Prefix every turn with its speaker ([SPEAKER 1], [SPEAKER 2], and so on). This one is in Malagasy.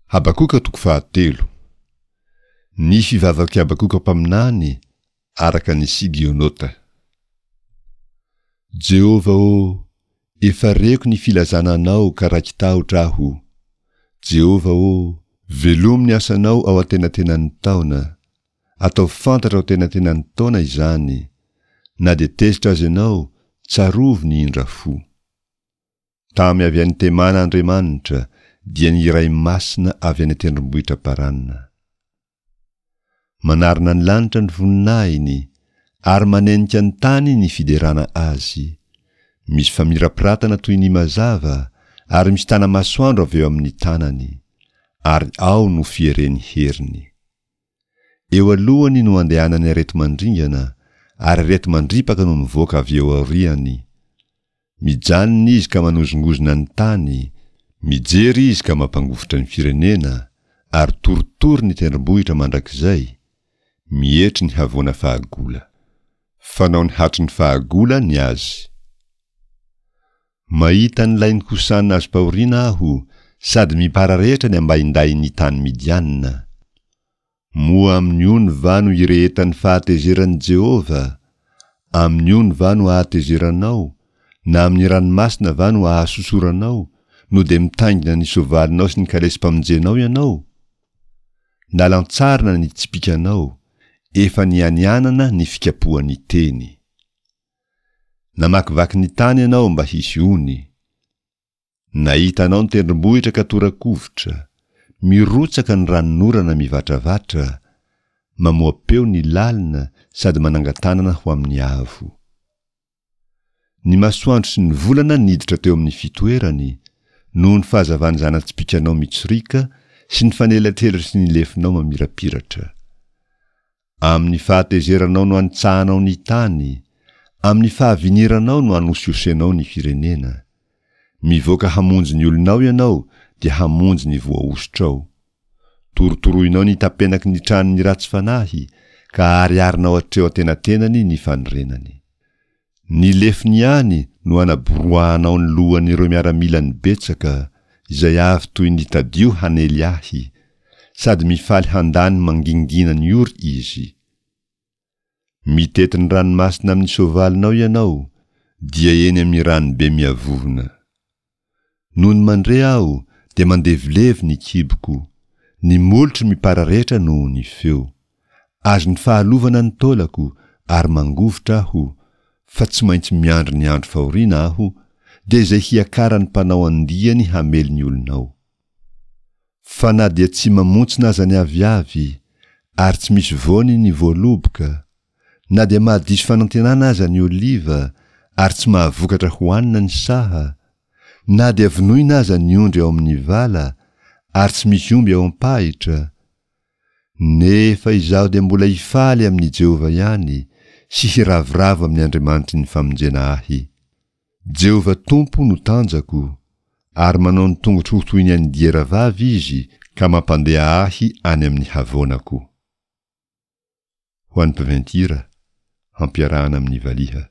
[SPEAKER 1] Habakoka toko fahatelo. Ny fivavak'i Habakoka mpaminany araka ny Sigionota. Jehovah ô, efa reko ny filazana Anao ka raiki-tahotra aho. Jehovah ô, velomy ny asanao ao antenatenan'ny taona. Ataovy fantatra ao antenatenan'ny taona izany. Na dia tezitra aza ianao, tsarovy ny indra fo. Tamy avy any Temana Andriamanitra, dia ny Iray Masina avy any an-tendrombohitra Parana. Manarona ny lanitra ny voninahiny, ary manenika ny tany ny fiderana Azy. Misy famirapiratana toy ny mazava, ary misy tana-masoandro avy eo amin'ny tanany, ary ao no fieren'ny heriny. Eo alohany no andehanan'ny areti-mandringana, ary areti-mandripaka no mivoaka avy eo aoriany. Mijanona izy ka manozongozona ny tany, mijery izy ka mampangovitra ny firenena, ary torotoro ny tendrombohitra mandrakizay, mietry ny havoana fahagola. Fanaony hatry ny fahagola ny azy. Mahita ny lain'i Kosana azom-pahoriana aho, sady mipararetra ny ambaindahin'ny tany Midiana. Moa amin'ny ony va no irehetan'ny fahatezeran'i Jehovah? Amin'ny ony va no ahatezeranao, na amin'ny ranomasina va no ahasosoranao, no dia mitaingina ny soavalinao sy ny kalesim-pamonjenao ianao? Nalantsarina ny tsipìkanao, efa nianianana ny fikapohan'ny teny. Namakivaky ny tany ianao mba hisy ony. Nahita anao ny tendrombohitra ka tora-kovitra, mirotsaka ny ranonorana mivatravatra, mamoa-peo ny lalina sady manangan-tanana ho amin'ny avo. Ny masoandro sy ny volana niditra teo amin'ny fitoerany, noho ny fahazavan'ny zana-tsipìkanao mitsoriaka sy ny fanelatrelatr'ny lefonao mamirapiratra. Amin'ny fahatezeranao no anitsahanao ny tany, amin'ny fahaviniranao no anosihosenao ny firenena. Mivoaka hamonjy ny olonao ianao dia hamonjy ny voahosotrao. Torotoroinao ny tapenaky ny tranon'ny ratsy fanahy ka ahariharinao hatreo antenatenany ny fanorenany. Ny lefony ihany no anaboroahanao ny lohan'ireo miaramilany betsaka, izay avy toy ny tadio hanely ahy, sady mifaly handany mangingina ny ory izy. Mitety ny ranomasina amin'ny soavalinao ianao, dia eny amin'ny ranobe miavovona. Nony mandre aho dia mandevilevy ny kiboko, ny molotro mipararetra noho ny feo. Azon'ny fahalovana ny taolako ary mangovitra aho, fa tsy maintsy miandry ny andro fahoriana aho, dia izay hiakaran'ny mpanao andiany hamely ny olonao. Fa na dia tsy mamontsina aza ny aviavy, ary tsy misy voany ny voaloboka, Na dia mahadiso fanantenana aza ny oliva ary tsy mahavokatra hohanina ny saha, na dia vonoina aza ny ondry ao amin'ny vala ary tsy misy omby ao am-pahitra, nefa izaho dia mbola hifaly amin'i Jehovah ihany sy hiravoravo amin'ny Andriamanitry ny famonjena ahy. Jehovah Tompo no tanjako, ary manao ny tongotro ho toy ny an'ny diera vavy Izy ka mampandeha ahy any amin'ny havoanako. Ho an'ny mpiventy hira, hampiarahana amin'ny valiha.